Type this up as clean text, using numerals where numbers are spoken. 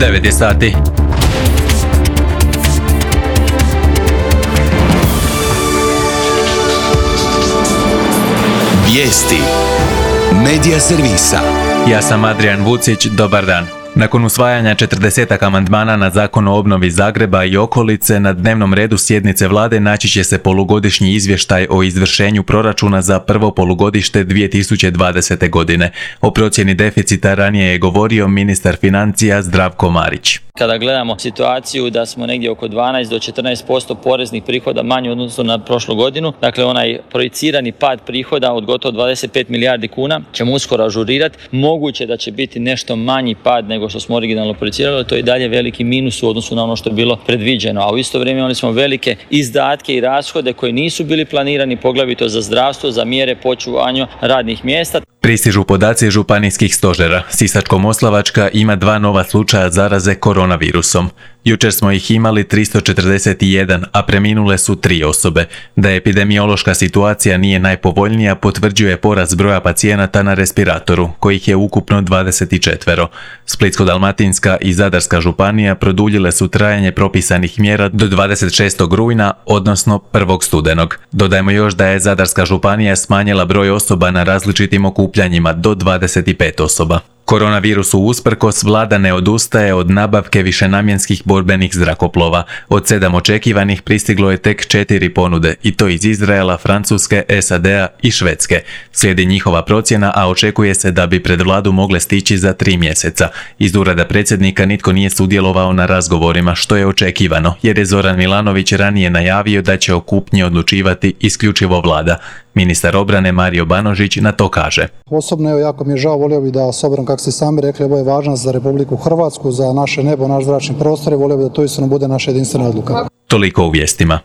9 je sati. Vijesti Medija servisa. Ja sam Adrian Vucić, dobar dan. Nakon usvajanja 40 amandmana na Zakon o obnovi Zagreba i okolice, na dnevnom redu sjednice vlade naći će se polugodišnji izvještaj o izvršenju proračuna za prvo polugodište 2020. godine. O procjeni deficita ranije je govorio ministar financija Zdravko Marić. Kada gledamo situaciju da smo negdje oko 12 do 14% poreznih prihoda manje u odnosu na prošlu godinu, dakle onaj projicirani pad prihoda od gotovo 25 milijardi kuna ćemo uskoro ažurirati. Moguće da će biti nešto manji pad nego što smo originalno projicirali, to je i dalje veliki minus u odnosu na ono što je bilo predviđeno. A u isto vrijeme imali smo velike izdatke i rashode koji nisu bili planirani, poglavito za zdravstvo, za mjere po očuvanju radnih mjesta. Pristižu podaci županijskih stožera. Sisačko-moslavačka ima 2 nova slučaja zaraze koronavirusom. Jučer smo ih imali 341, a preminule su 3 osobe. Da epidemiološka situacija nije najpovoljnija potvrđuje porast broja pacijenata na respiratoru, kojih je ukupno 24. Splitsko-dalmatinska i Zadarska županija produljile su trajanje propisanih mjera do 26. rujna, odnosno 1. studenog. Dodajmo još da je Zadarska županija smanjila broj osoba na različitim okupljanjima do 25 osoba. Koronavirusu usprkos, vlada ne odustaje od nabavke višenamjenskih borbenih zrakoplova. Od 7 očekivanih pristiglo je tek 4 ponude, i to iz Izraela, Francuske, SAD-a i Švedske. Slijedi njihova procjena, a očekuje se da bi pred vladu mogle stići za 3 mjeseca. Iz ureda predsjednika nitko nije sudjelovao na razgovorima, što je očekivano, jer je Zoran Milanović ranije najavio da će o kupnji odlučivati isključivo vlada. Ministar obrane Mario Banožić na to kaže. Osobno, jako mi je žao, volio bih da, s obzirom kako ste sami rekli, ovo je važno za Republiku Hrvatsku, za naše nebo, naš zračni prostor i volio bih da to istino bude naša jedinstvena odluka. Toliko u vijestima.